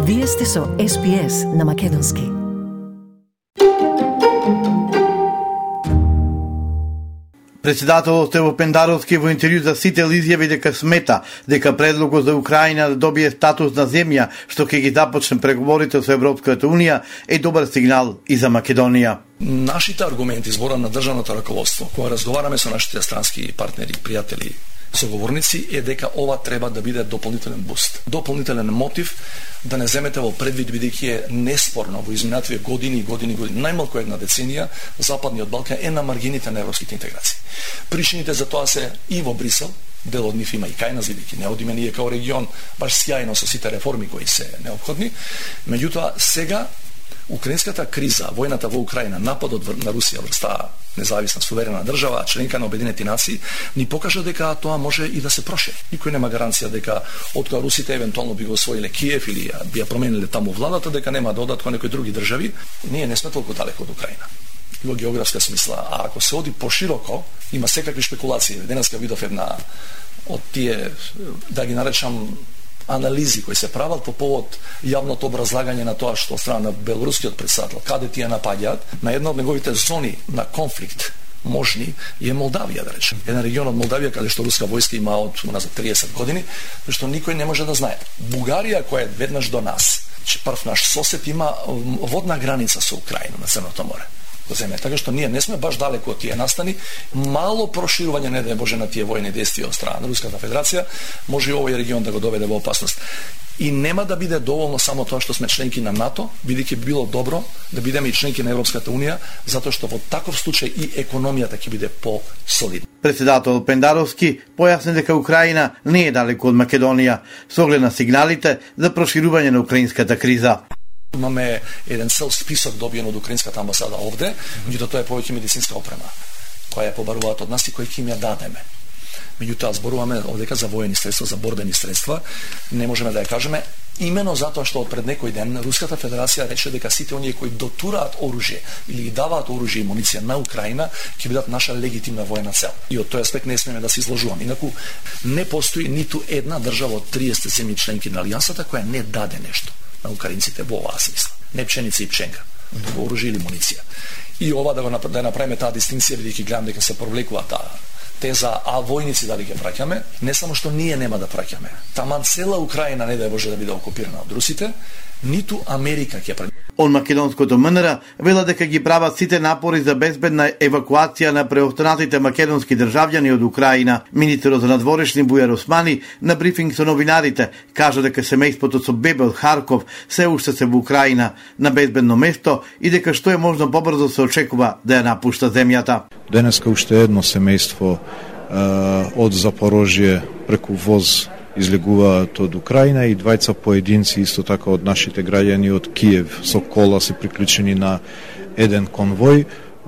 Вие сте со SPS на македонски. Председателот Ево Пендаровски во интервју за Сител изјави дека смета дека предлогот за Украина да добие статус на земја што ќе ги започне преговорите со Европската Унија е добар сигнал и за Македонија. Нашите аргументи збора на државното раководство, кога разговараме со нашите странски партнери, пријатели, соговорници, е дека ова треба да биде дополнителен буст, дополнителен мотив да не земете во предвид, бидејќи е неспорно во изминативе години, најмалку една деценија, Западниот Балкан е на маргините на европските интеграции. Причините за тоа се и во Брисел, дел од нив има и кај нас, бидејќи не одиме ние као регион баш сјајно со сите реформи кои се неопходни. Меѓутоа, сега украинската криза, војната во Украина, нападот на Русија врз таа независна суверена држава, членка на Обединените нации, ни покажа дека тоа може и да се прошири. Никој нема гаранција дека откога русите евентуално би го освоиле Киев или би ја промениле таму владата, дека нема да одат кон некои други држави. Ние не сме толку далеко од Украина во географска смисла. А ако се оди пошироко, има секакви шпекулации. Денеска видов една од тие, да ги наречам, анализи кои се прават по повод јавното образлагање на тоа што од страна на белорускиот председател, каде тие напаѓаат, на една од неговите зони на конфликт можни е Молдавија, да речем. Еден регион од Молдавија каде што руска војска има од назад 30 години, што никој не може да знае. Бугарија, која е веднаш до нас, прв наш сосед, има водна граница со Украина на Црното море. Така што ние не сме баш далеко од тие настани. Мало проширување, не да Боже, на тие војни действија од страна на Руската Федерација може и овој регион да го доведе во опасност. И нема да биде доволно само тоа што сме членки на НАТО, бидејќи би било добро да бидеме и членки на Европската Унија, затоа што во таков случај и економијата ќе биде по-солидна. Председател Пендаровски појасни дека Украина не е далеко од Македонија, со оглед на сигналите за проширување на украинската криза. Имаме еден цел список добиен од украинската амбасада овде, меѓутоа тоа е повеќе медицинска опрема, која ја побаруваат од нас и која ќе им ја дадеме. Меѓутоа зборуваме овдека за воени средства, за борбени средства, не можеме да ја кажеме, имено затоа што од пред некој ден Руската Федерација рече дека сите оние кои дотураат оружје или ги даваат оружје и муниција на Украина ќе бидат наша легитимна воена цел. И од тој аспект не смееме да се изложуваме. Инаку не постои ниту една држава од 30 земји членки на алијансата која не даде нешто на украинците во оваа смисла. Не пшеница и пшенка, туку оружје или муниција. И ова да направиме таа дистинција, бидејќи гледам дека се провлекува таа теза, а војници дали ќе праќаме, не само што ние нема да праќаме. Таман цела Украина не да може да биде окупирана од русите, ниту Америка ќе праќа. Од македонското МНР вела дека ги прават сите напори за безбедна евакуација на преостанатите македонски државјани од Украина. Министерот за надворешни Бујар Османи на брифинг со новинарите кажа дека семејството со бебе од Харков се уште се во Украина на безбедно место и дека што е можно побрзо се очекува да ја напушта земјата. Денеска уште едно семејство од Запорожје преку воз излегуваат од Украина и двајца поединци исто така од нашите граѓани од Киев со кола се приклучени на еден конвој,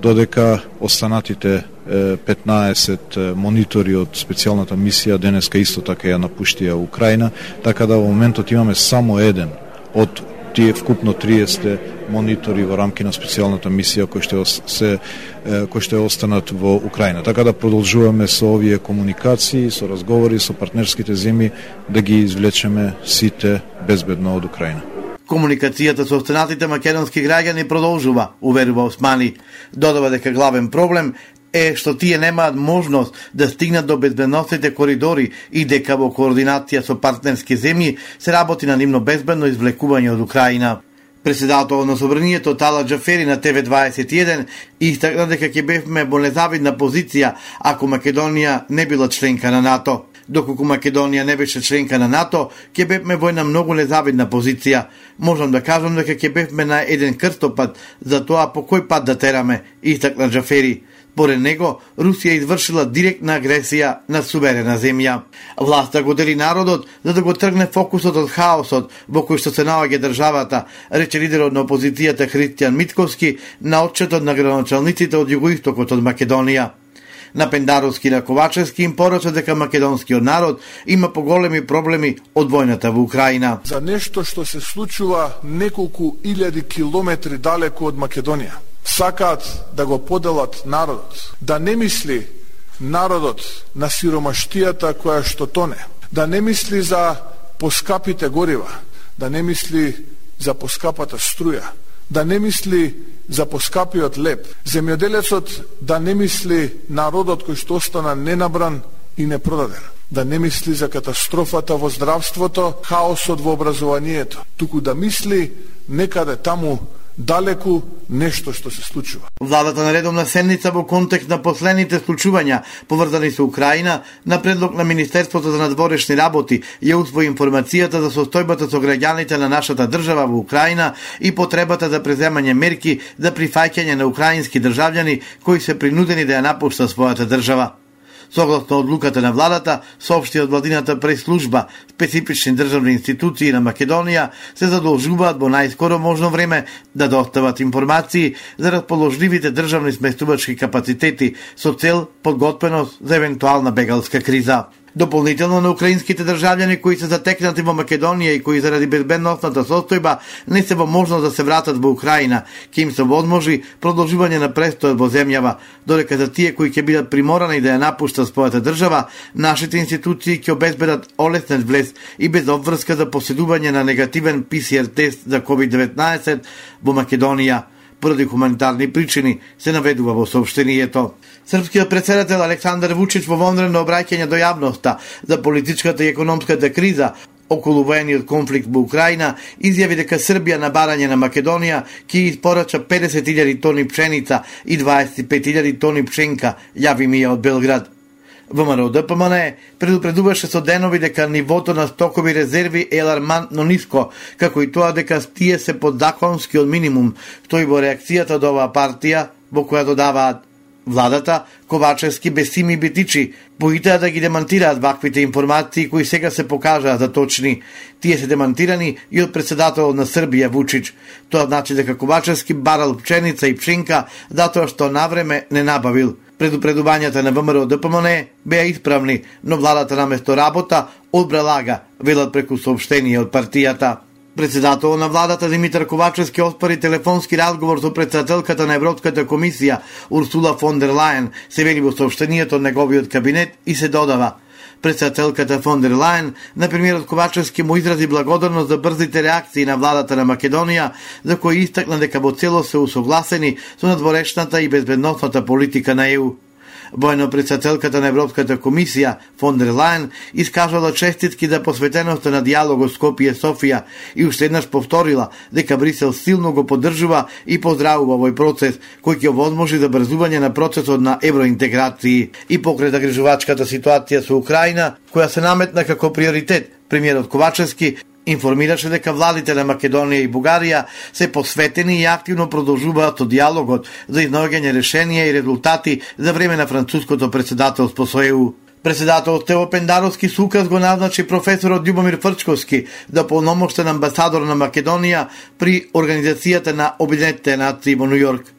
додека останатите 15 монитори од специјалната мисија денеска исто така ја напуштија Украина, така да во моментот имаме само еден од тие вкупно 30 монитори во рамки на специјалната мисија кои што останат во Украина. Така да продолжуваме со овие комуникации, со разговори со партнерските земји да ги извлечеме сите безбедно од Украина. Комуникацијата со останатите македонски граѓани продолжува, уверува Османи. Додава дека главен проблем е што тие немаат можност да стигнат до безбедносните коридори и дека во координација со партнерски земји се работи на нивно безбедно извлекување од Украина. Председател на Собранието Тала Џафери на ТВ21 истакна дека ќе бевме во незавидна позиција ако Македонија не била членка на НАТО. Доколку Македонија не беше членка на НАТО, ќе бевме во една многу незавидна позиција. Можам да кажам дека ќе бевме на еден крстопат за тоа по кој пат да тераме, истакна Џафери. Поред него, Русија извршила директна агресија на суверена земја. Власта го дели народот за да го тргне фокусот од хаосот во кој што се наоѓа државата, рече лидерот на опозицијата Христијан Митковски на отчетот на градоначалниците од југоистокот од Македонија. На Пендаровски и на Ковачевски им порача дека македонскиот народ има поголеми проблеми од војната во Украина. За нешто што се случува неколку илјади километри далеко од Македонија. Сакаат да го поделат народот, да не мисли народот на сиромаштијата која што тоне, да не мисли за поскапите горива, да не мисли за поскапата струја, да не мисли за поскапиот леп, земјоделецот да не мисли народот кој што остана ненабран и непродаден, да не мисли за катастрофата во здравството, хаосот во образованието, туку да мисли некаде таму далеку нешто што се случува. Владата на редовна седница во контекст на последните случувања поврзани со Украина, на предлог на Министерството за надворешни работи ја усвои информацијата за состојбата со граѓаните на нашата држава во Украина и потребата за преземање мерки за прифаќање на украински државјани кои се принудени да ја напуштат својата држава. Согласно одлуката на владата, соопшти од владината прес-служба, специфични државни институции на Македонија се задолжуваат во најскоро можно време да достават информации за расположливите државни сместувачки капацитети со цел подготвеност за евентуална бегалска криза. Дополнително на украинските државјани кои се затекнати во Македонија и кои заради безбедносната состојба не се во можност да се вратат во Украина, ќе им се возможи продолжување на престојот во земјава, додека за тие кои ќе бидат приморани да ја напуштат својата држава, нашите институции ќе обезбедат олеснет влез и без обврска за поседување на негативен PCR тест за COVID-19 во Македонија. Поради хуманитарни причини, се наведува во соопштението. Српскиот претседател Александар Вучич во вонредно обраќање до јавноста за политичката и економската криза околу воениот конфликт во Украина изјави дека Србија на барање на Македонија ќе испорача 50.000 тони пшеница и 25.000 тони пшенка, јави Мија од Белград. ВМРО ДПМН предупредуваше со денови дека нивото на стокови резерви е алармантно ниско, како и тоа дека тие се под законскиот минимум, што и во реакцијата од оваа партија, во која додаваат владата, Ковачевски, Бесими и Бетичи поитаа да ги демантираат ваквите информации кои сега се покажаа за точни. Тие се демантирани и од претседателот на Србија Вучич. Тоа значи дека Ковачевски барал пченица и пшенка затоа што навреме не набавил. Предупредувањата на ВМРО ДПМН беа исправни, но владата наместо работа одбра лага, велат преку соопштение од партијата. Председател на владата Димитар Ковачевски оспори телефонски разговор со председателката на Европската комисија Урсула фон дер Лајен, се вели во соопштението од неговиот кабинет и се додава. Председателката фон дер Лајен на премиерот Ковачевски му изрази благодарност за брзите реакции на владата на Македонија, за кои истакна дека во целост се усогласени со надворешната и безбедносната политика на ЕУ. Воено председателката на Европската комисија фон дер Лајен искажала честитки за посветеноста на диалогот Скопје Софија и уште еднаш повторила дека Брисел силно го поддржува и поздравува овој процес кој ќе овозможи забрзување на процесот на евроинтеграции. И покрај загрижувачката ситуација со Украина, која се наметна како приоритет, премиерот Ковачевски информираше дека владите на Македонија и Бугарија се посветени и активно продолжуваат со диалогот за изнаоѓање решенија и резултати за време на француското претседателство со ЕУ. Председателот Тево Пендаровски со указ го назначи професорот Љубомир Фрчковски да полномоштен амбасадор на Македонија при Организацијата на Обединетите нации во Њу Јорк.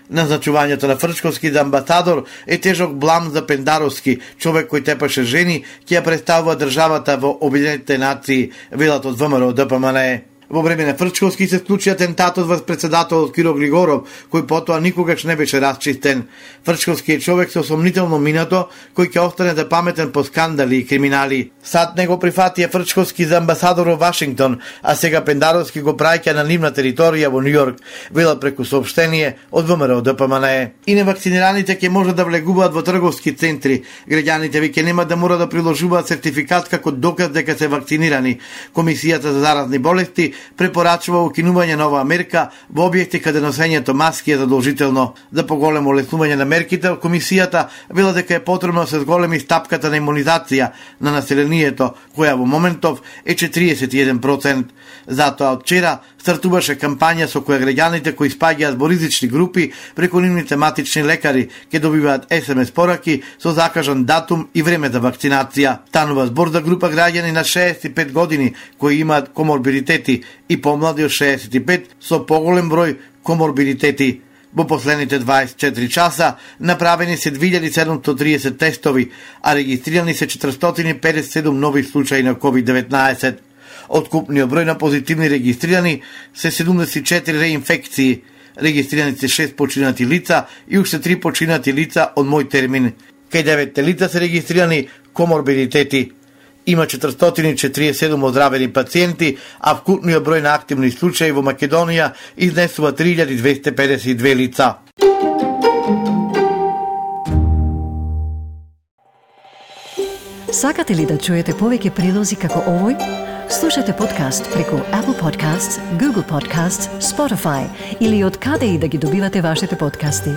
Назначувањето на Фрчковски за амбасадор е тежок блам за Пендаровски, човек кој тепаше жени, ќе ја представува државата во Обединетите нации, велат од ВМРО ДПМН. Во време на Фрчковски се склучи атентатот врз председателот Киро Григоров, кој потоа никогаш не беше расчистен. Фрчковски е човек со сомнително минато, кој ќе остане запаметен по скандали и криминали. Сад него прифатија Фрчковски за амбасадор во Вашингтон, а сега Пендаровски го праќа на нивна територија во Њу Јорк, велат преку соопштение од ВМРО ДПМН. И невакцинираните ќе можат да влегуваат во трговски центри. Граѓаните веќе нема да мора да приложуваат сертификат како доказ дека се вакцинирани. Комисијата за заразни болести препорачува укинување на оваа мерка во објекти каде носењето маски е задолжително. За поголемо олеснување на мерките, комисијата вела дека е потребно да се зголеми стапката на имунизација на населението, која во моментов е 41%. Затоа од вчера стартуваше кампања со која граѓаните кои спаѓаат во ризични групи преку нивните матични лекари ќе добиваат SMS пораки со закажан датум и време за вакцинација. Станува збор за група граѓани на 65 години кои имаат коморбидитети и помлади од 65 со поголем број коморбидитети. Во последните 24 часа направени се 2730 тестови, а регистрирани се 457 нови случаи на COVID-19. Од купниот број на позитивни регистрирани се 74 реинфекции, регистрирани се 6 починати лица и уште 3 починати лица од мој термин. Кај 9 лица се регистрирани коморбидитети. Има 447 оздравени пациенти, а вкупниот број на активни случаи во Македонија изнесува 3252 лица. Сакате ли да чуете повеќе прилози како овој? Слушате подкаст преку Apple Podcasts, Google Podcasts, Spotify или од каде и да ги добивате вашите подкасти.